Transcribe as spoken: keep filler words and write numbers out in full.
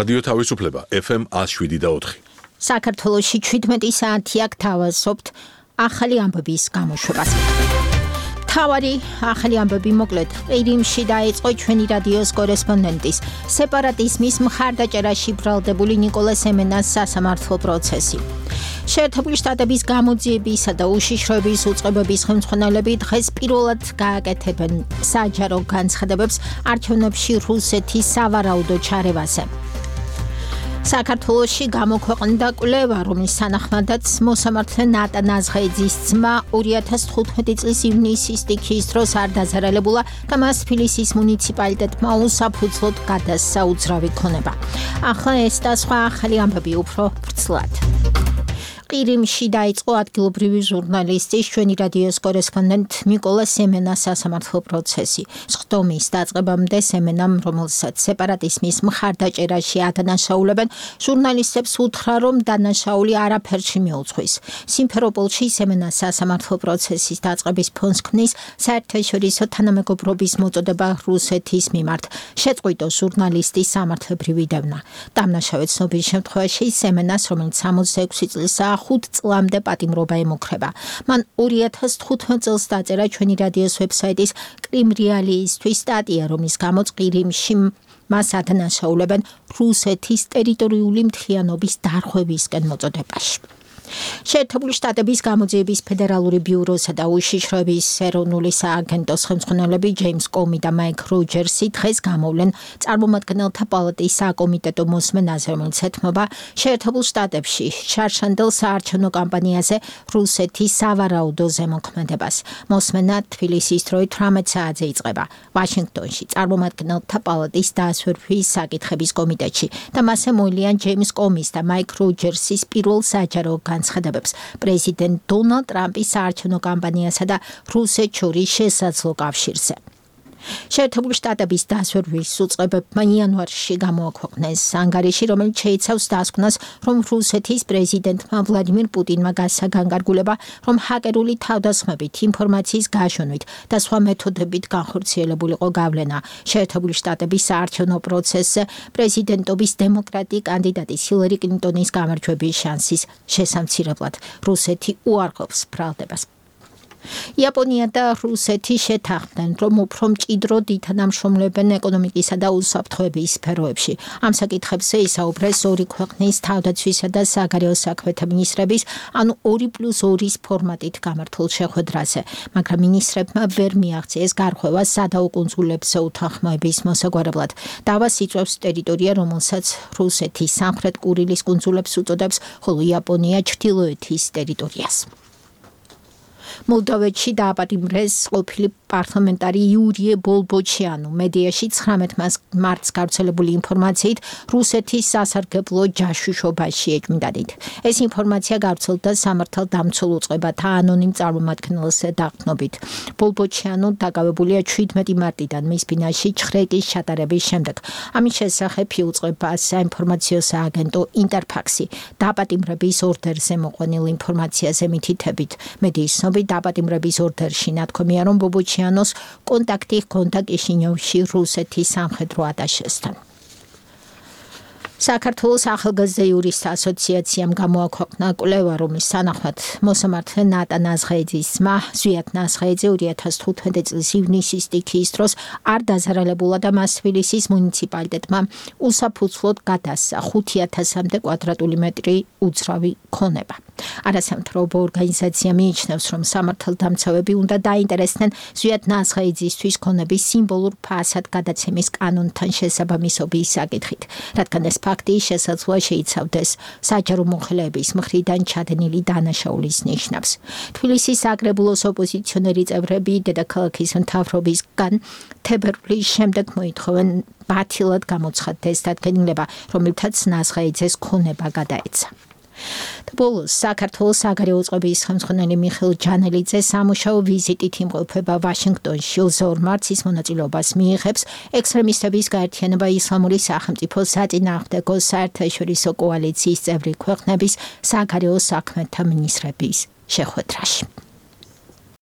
რადიო თავისუფლება F M one oh seven და four. საქართველოში ჩვიდმეტი საათი აქ თავაზობთ ახალი ამბების გამოშვებას. თავარი ახალი ამბები მოკლედ ყირიმში დაიწყო ჩვენი რადიოს კორესპონდენტის სეპარატიზმის მხარდაჭერაში ბრალდებული ნიკოლას სემენას სასამართლო პროცესი. შეერთებული შტატების გამოძიებისა და უშიშროების უწყებების ხელმძღვანელები დღეს პირველად გააკეთებენ საჯარო განცხადებებს არჩევნებში რუსეთის სავარაუდო ჩარევაზე. საქართველოში გამოქვეყნდა კვლევა, რომლის თანახმადაც მოსამართლე ნატა ნაზღეიძის ძმა ორი ათას თხუთმეტი წლის ივნისის სტიქიის დროს არ დაზარალებულა და მას თბილისის მუნიციპალიტეტმა უსაფუძვლოდ გადასცა უძრავი ქონება. ახლა ეს და სხვა ახალი ამბები უფრო ვრცლად. ყირიმში დაიწყო ადგილობრივი ჟურნალისტის ჩვენი რადიოს კორესპონდენტ ნიკოლას სემენას სასამართლო პროცესი. სხდომის დაწყებამდე სემენამ, რომელსაც სეპარატიზმის მხარდაჭერაში ადანაშაულებენ, ჟურნალისტებს უთხრა, რომ დანაშაული არაფერში მიუძღვის. სიმფეროპოლში სემენას სასამართლო პროცესის დაწყების ფონს ქმნის საერთაშორისო თანამეგობრობის მოწოდება რუსეთის მიმართ. შეწყვიტო ჟურნალისტის სამართლებრივი დევნა. დამნაშავე ცნობის შემთხვევაში სემენას, რომელიც სამოცდაექვსი წლისაა, ხუთ წლამდე პატიმრობა ემუქრება. მან ორი ათას თხუთმეტ წელს დაწერა ჩვენი რადიოს ვებსაიტის კრიმ რეალიისთვის სტატია, რომლის გამოც ყირიმში მას ადანაშაულებენ რუსეთის ტერიტორიული მთლიანობის დარღვევისკენ მოწოდებაში. შეერთებული შტატების გამოძიების ფედერალური ბიუროსა და უშიშროების ეროვნული სააგენტოს ხელმძღვანელები ჯეიმს კომი და მაიკ როჯერსი დღეს გამოვლენ წარმომადგენელთა პალატის საკომიტეტო მოსმენაზე, რომელიც ეთმობა შეერთებულ შტატებში შარშანდელ საარჩევნო კამპანიაზე რუსეთის სავარაუდო ზემოქმედებას. მოსმენა თბილისის დროით თვრამეტ საათზე იწყება ვაშინგტონში წარმომადგენელთა პალატის დასვერვის საკითხების კომიტეტში და მასზე მოილიან ჯეიმს კომის და მაიკ როჯერსის პირველ საჯარო განცხადებებს პრეზიდენტ დონალდ ტრამპის საარჩევნო კამპანიასა და რუსეთს შორის შესაძლო კავშირზე. შეერთებული შტატების დასვერვის უწყებებმა იანვარში გამოაქვეყნეს ანგარიში, რომელიც შეიცავს დასკვნას, რომ რუსეთის პრეზიდენტმა ვლადიმირ პუტინმა გასცა განკარგულება, რომ ჰაკერული თავდასხმებით, ინფორმაციის გაშონვით და სხვა მეთოდებით განხორციელებულიყო გავლენა შეერთებული შტატების საარჩევნო პროცესზე პრეზიდენტობის დემოკრატი კანდიდატის ჰილარი კლინტონის გამარჯვების შანსის შესამცირებლად. რუსეთი უარყოფს ბრალდებას. იაპონია და რუსეთი შეთანხმდნენ, რომ უფრო მჭიდროდ ითანამშრომლებენ ეკონომიკისა და უსაფრთხოების სფეროებში. ამ საკითხებზე ისაუბრეს ორი ქვეყნის თავდაცვისა და საგარეო საქმეთა მინისტრების, ანუ ორი პლუს ორის ფორმატით გამართულ შეხვედრაზე, მაგრამ მინისტრებმა ვერ მიაღწიეს გარღვევა სადაო კუნძულებზე უთანხმოების მოსაგვარებლად. დავას იწვევს ტერიტორია, რომელსაც რუსეთი სამხრეთ კურილის კუნძულებს უწოდებს, ხოლო იაპონია ჩრდილოეთის ტერიტორიას. მოლდოვეთში დააპატიმრეს ყოფილი პარლამენტარი იურიე ბოლბოჩიანუ. მედიაში ცხრამეტ მარტს გავრცელებული ინფორმაციით რუსეთის სასარგებლო ჯაშუშობაში ეჭვმიტანით. ეს ინფორმაცია გავრცელდა სამართალდამცველ უწყებათა ანონიმ წარმომადგენელს დაყრდნობით. ბოლბოჩიანუ დაკავებულია შვიდმეტი მარტიდან მის ბინაში ჩხრეკის ჩატარების შემდეგ. ამის შესახებ იუწყება საინფორმაციო სააგენტო ინტერფაქსი დააპატიმრების ორდერზე მოყვანილ ინფორმაციაზე მითითებით. მედიის ცნობით დაპატიმრების ორდერში ნათქვამია, რომ ბობოჩიანოს კონტაქტი ჰქონდა კიშინიოვში რუსეთის სამხედრო ატაშესთან. საქართველოს ახალგაზრდა იურისტთა ასოციაციამ გამოაქვეყნა კვლევა, რომლის თანახმად მოსამართლე ნატა ნაზღეიძის ძმა ზვიად ნაზღეიძე ორი ათას თხუთმეტი წლის ივნისის სტიქიის დროს არ დაზარალებულა და მას თბილისის მუნიციპალიტეტმა უსაფუძვლოდ გადასცა ხუთი ათასამდე კვადრატული მეტრი უძრავი ქონება. არასამთავრობო ორგანიზაცია მიიჩნევს, რომ სამართალდამცავები უნდა დაინტერესდნენ ზვიად ნაზღეიძისთვის ქონების სიმბოლურ ფასად გადაცემის კანონთან შესაბამისობის საკითხით, რადგან ეს ფაქტი შესაძლოა შეიცავდეს საჯარო მოხელეების მხრიდან ჩადენილი დანაშაულის ნიშნავს. თბილისის საკრებულოს ოპოზიციონერი წევრები დედაქალაქის მთავრობისგან თებერვლის შემდეგ მოითხოვენ ბათილად გამოცხადდეს დადგენილება, რომელთაც ნაზღეიძეს ქონება გადაეცა. ბოლოს საქართველოს საგარეო უწყების ხელმძღვანელი მიხეილ ჯანელიძე სამუშაო ვიზიტით იმყოფება ვაშინგტონში. ოცდაორ მარტს ის მონაწილეობას მიიღებს ექსტრემისტების გაერთიანება ისლამური სახელმწიფო საწინააღმდეგო საერთაშორისო კოალიციის წევრი ქვეყნების საგარეო საქმეთა მინისტრების შეხვედრაში.